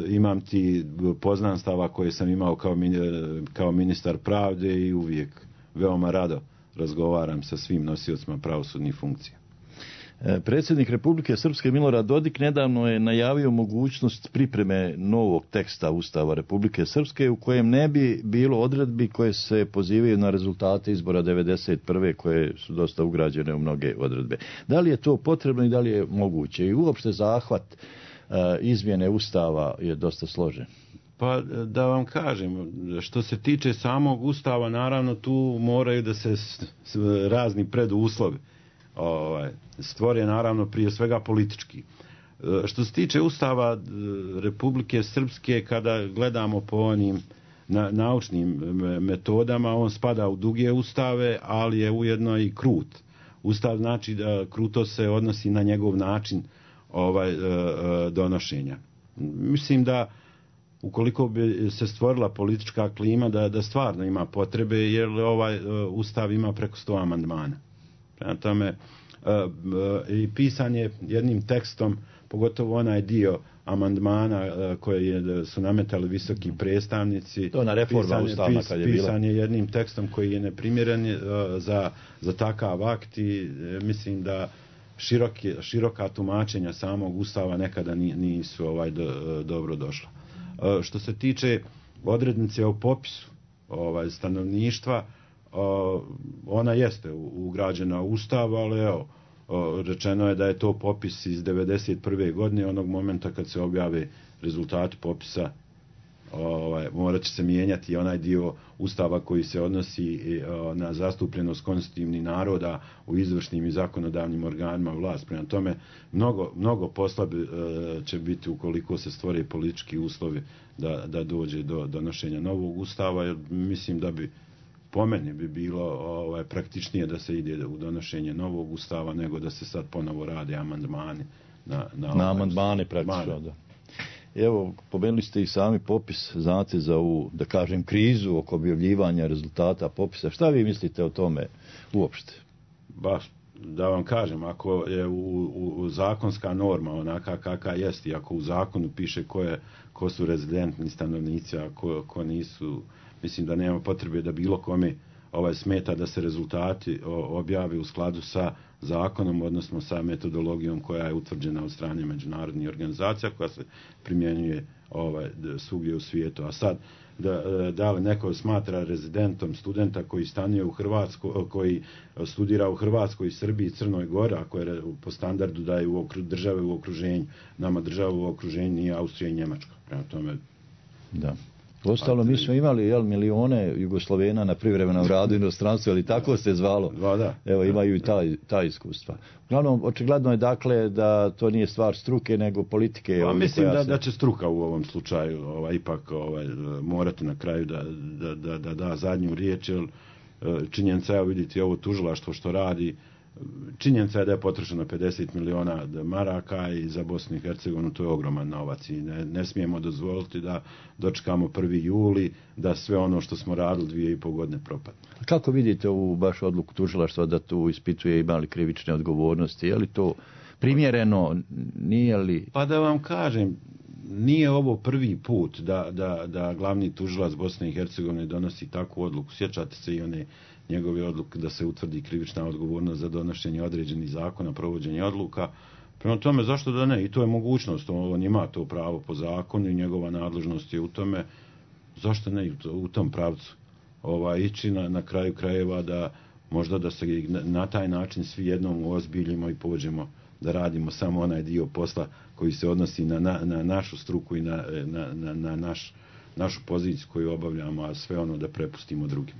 imam ti poznanstava koje sam imao kao ministar pravde i uvijek veoma rado razgovaram sa svim nosiocima pravosudnih funkcija. Predsjednik Republike Srpske Milorad Dodik nedavno je najavio mogućnost pripreme novog teksta Ustava Republike Srpske u kojem ne bi bilo odredbi koje se pozivaju na rezultate izbora 1991. koje su dosta ugrađene u mnoge odredbe. Da li je to potrebno i da li je moguće? I uopšte zahvat izmjene Ustava je dosta složen. Pa da vam kažem, što se tiče samog Ustava, naravno tu moraju da se razni preduslovi stvore, naravno prije svega politički. Što se tiče Ustava Republike Srpske, kada gledamo po onim naučnim metodama, on spada u duge ustave, ali je ujedno i krut. Ustav znači da kruto se odnosi na njegov način donošenja. Mislim da ukoliko bi se stvorila politička klima da stvarno ima potrebe, jer Ustav ima preko 100 amandmana. Prema tome, i pisan je jednim tekstom, pogotovo onaj dio amandmana koje su nametali visoki predstavnici. To na reforma ustavna kad je bila. Pisan je jednim tekstom koji je neprimjeren za takav akt i mislim da široka tumačenja samog Ustava nekada nisu dobro došla. Što se tiče odrednice o popisu stanovništva, ona jeste ugrađena u Ustav, ali evo, rečeno je da je to popis iz 1991. godine, onog momenta kad se objave rezultati popisa, morat će se mijenjati onaj dio Ustava koji se odnosi na zastupljenost konstitutivnih naroda u izvršnim i zakonodavnim organima vlasti. Prema tome, mnogo posla će biti ukoliko se stvore politički uslovi da dođe do donošenja novog Ustava, jer mislim da bi po meni bi bilo praktičnije da se ide u donošenje novog Ustava nego da se sad ponovo rade amandmani na amandmane praktično, da. Evo, pomenuli ste i sami popis, znate, za ovu, da kažem, krizu oko objavljivanja rezultata popisa. Šta vi mislite o tome uopšte? Baš, da vam kažem, ako je u zakonska norma onaka kakva jest i ako u zakonu piše ko su rezidentni stanovnici, a ko nisu, mislim da nema potrebe da bilo kome smeta da se rezultati objave u skladu sa zakonom, odnosno sa metodologijom koja je utvrđena od strane međunarodnih organizacija, koja se primjenjuje svugdje u svijetu. A sad, da li neko smatra rezidentom studenta koji stanuje u Hrvatskoj, koji studira u Hrvatskoj, Srbiji, Crnoj Gori, ako je po standardu da je države u okruženju, nama država u okruženju nije Austrija i Njemačka. Prema tome, da. Ostalo, mi smo imali milione Jugoslovena na privremenom radu inostranstvu, ali tako se zvalo. Da. Evo, imaju i ta iskustva. Uglavnom, očigledno je dakle da to nije stvar struke, nego politike. Mislim da će struka u ovom slučaju ipak morati na kraju da zadnju riječ, jer činjenica je, vidite, ovo tužilaštvo što radi, činjenica je da je potrošeno 50 miliona maraka i za Bosnu i Hercegovinu to je ogroman novac i ne smijemo dozvoliti da dočekamo 1. juli, da sve ono što smo radili 2,5 godine propadne. Kako vidite ovu baš odluku tužilaštva da tu ispituje ima li krivične odgovornosti? Je li to primjereno? Nije li? Pa da vam kažem, nije ovo prvi put da glavni tužilac Bosne i Hercegovine donosi takvu odluku. Sjećate se i one njegove odluke da se utvrdi krivična odgovornost za donošenje određenih zakona, provođenje odluka. Prema tome, zašto da ne? I to je mogućnost. On ima to pravo po zakonu i njegova nadležnost je u tome. Zašto ne u tom pravcu ići na kraju krajeva da možda da se na taj način svi jednom uozbiljimo i pođemo da radimo samo onaj dio posla koji se odnosi na našu struku i na našu poziciju koju obavljamo, a sve ono da prepustimo drugima.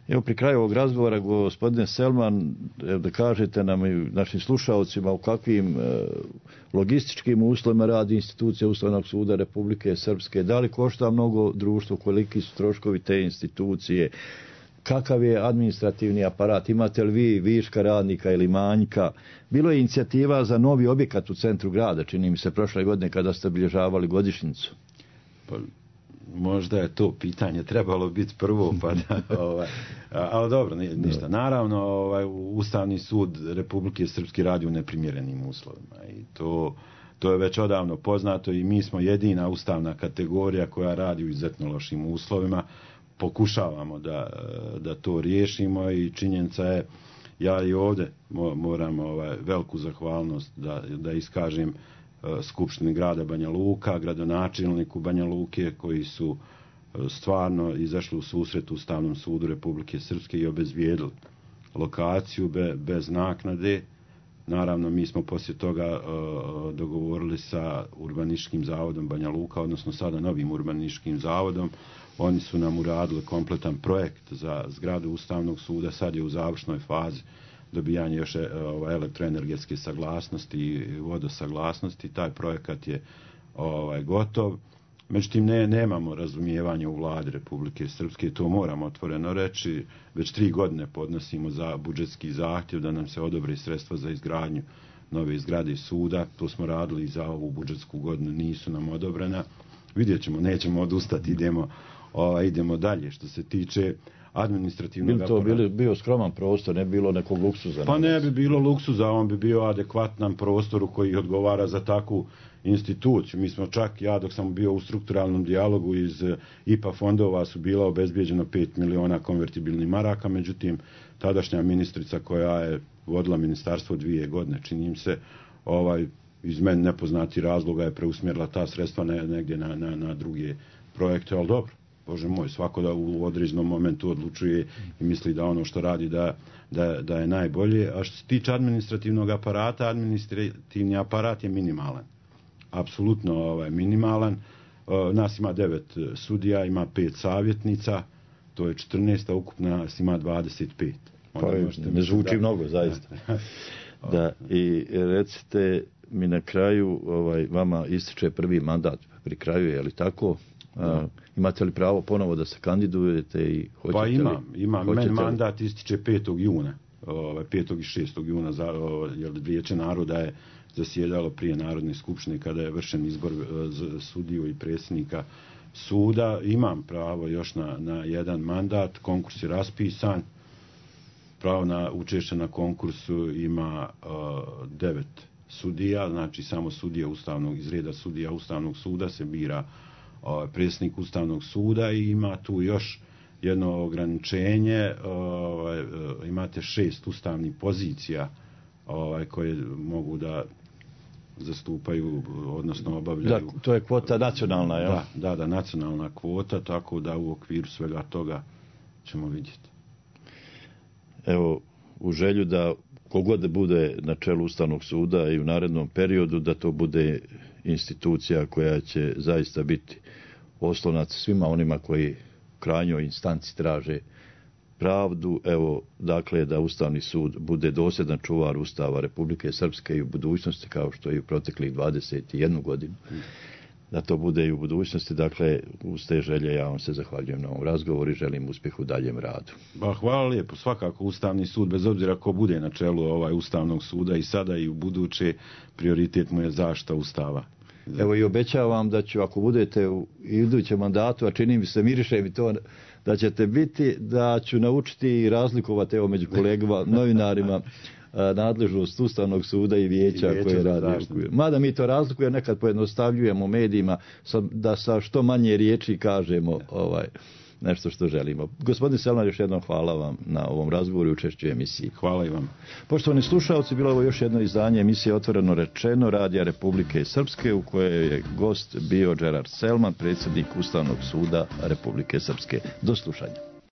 Evo pri kraju ovog razgovora, gospodine Selman, da kažete nam i našim slušalcima u kakvim logističkim uslovima radi institucija Ustavnog suda Republike Srpske, da li košta mnogo društvo, koliki su troškovi te institucije, kakav je administrativni aparat, imate li vi viška radnika ili manjka. Bilo je inicijativa za novi objekat u centru grada, čini mi se prošle godine kada ste obilježavali godišnjicu. Pa, možda je to pitanje trebalo biti prvo, pa da, ali dobro, ništa. Naravno, Ustavni sud Republike Srpske radi u neprimjerenim uslovima i to je već odavno poznato i mi smo jedina ustavna kategorija koja radi u izuzetno lošim uslovima. Pokušavamo da to riješimo i činjenica je, ja i ovdje moram veliku zahvalnost da iskažem Skupštini grada Banja Luka, gradonačelniku Banja Luke, koji su stvarno izašli u susret Ustavnom sudu Republike Srpske i obezbijedili lokaciju bez naknade. Naravno, mi smo poslije toga dogovorili sa Urbanističkim zavodom Banja Luka, odnosno sada novim Urbanističkim zavodom. Oni su nam uradili kompletan projekt za zgradu Ustavnog suda, sad je u završnoj fazi dobijanje još elektroenergetske saglasnosti i vodosaglasnosti. Taj projekat je gotov. Međutim, nemamo razumijevanje u vladi Republike Srpske, to moramo otvoreno reći. Već 3 godine podnosimo za budžetski zahtjev da nam se odobre sredstva za izgradnju nove zgrade suda. To smo radili i za ovu budžetsku godinu, nisu nam odobrena. Vidjet ćemo, nećemo odustati, idemo dalje. Što se tiče administrativnog aparata. Bi to bio skroman prostor, ne bi bilo nekog luksuza? Pa ne bi bilo luksuza, on bi bio adekvatan prostoru koji odgovara za takvu instituciju. Mi smo čak, ja dok sam bio u strukturalnom dijalogu iz IPA fondova su bila obezbijeđeno 5 miliona konvertibilnih maraka, međutim tadašnja ministrica koja je vodila ministarstvo 2 godine, čini im se, iz meni nepoznati razloga je preusmjerila ta sredstva negdje na druge projekte, ali dobro. Bože moj, svako da u određenom momentu odlučuje i misli da ono što radi da je najbolje. A što se tiče administrativnog aparata, administrativni aparat je minimalan. Apsolutno minimalan. Nas ima 9 sudija, ima 5 savjetnica, to je 14, a ukupno nas ima 25. Pa ne zvuči mnogo, zaista. Da, i recite mi na kraju, vama ističe prvi mandat pri kraju, je li tako? Imate li pravo ponovo da se kandidujete i hoćete Pa imam. Meni mandat ističe 5. juna. 5. i 6. juna, jer Vijeće naroda je zasjedalo prije Narodne skupštine kada je vršen izbor sudiju i predsjednika suda. Imam pravo još na jedan mandat, konkurs je raspisan. Pravo na učešće na konkursu ima 9 sudija, znači samo sudija iz reda sudija Ustavnog suda se bira predsjednik Ustavnog suda i ima tu još jedno ograničenje, imate 6 ustavnih pozicija koje mogu da zastupaju, odnosno obavljaju. Da, to je kvota nacionalna, jel? Da, nacionalna kvota, tako da u okviru svega toga ćemo vidjeti. Evo, u želju da kogod bude na čelu Ustavnog suda i u narednom periodu, da to bude institucija koja će zaista biti oslonac svima onima koji u krajnjoj instanci traže pravdu. Evo, dakle, da Ustavni sud bude dosljedan čuvar Ustava Republike Srpske i u budućnosti, kao što je i u proteklih 21 godinu. Da to bude i u budućnosti. Dakle, uz te želje ja vam se zahvaljujem na ovom razgovoru i želim uspjeh u daljem radu. Hvala lijepo. Svakako Ustavni sud, bez obzira ko bude na čelu Ustavnog suda i sada i u buduće, prioritet mu je zaštita Ustava. Evo i obećavam da ću, ako budete u idućem mandatu, a čini mi se, miriše mi to da ćete biti, da ću naučiti i razlikovati među kolegama, novinarima, nadležnost Ustavnog suda i vijeća koje radi. Mada mi to razlikuje, nekad pojednostavljujemo u medijima da sa što manje riječi kažemo nešto što želimo. Gospodin Selman, još jednom hvala vam na ovom razgovoru i učešću emisiji. Hvala i vam. Poštovani slušalci, bilo je ovo još jedno izdanje emisije Otvoreno rečeno Radija Republike Srpske, u kojoj je gost bio Gerard Selman, predsjednik Ustavnog suda Republike Srpske. Do slušanja.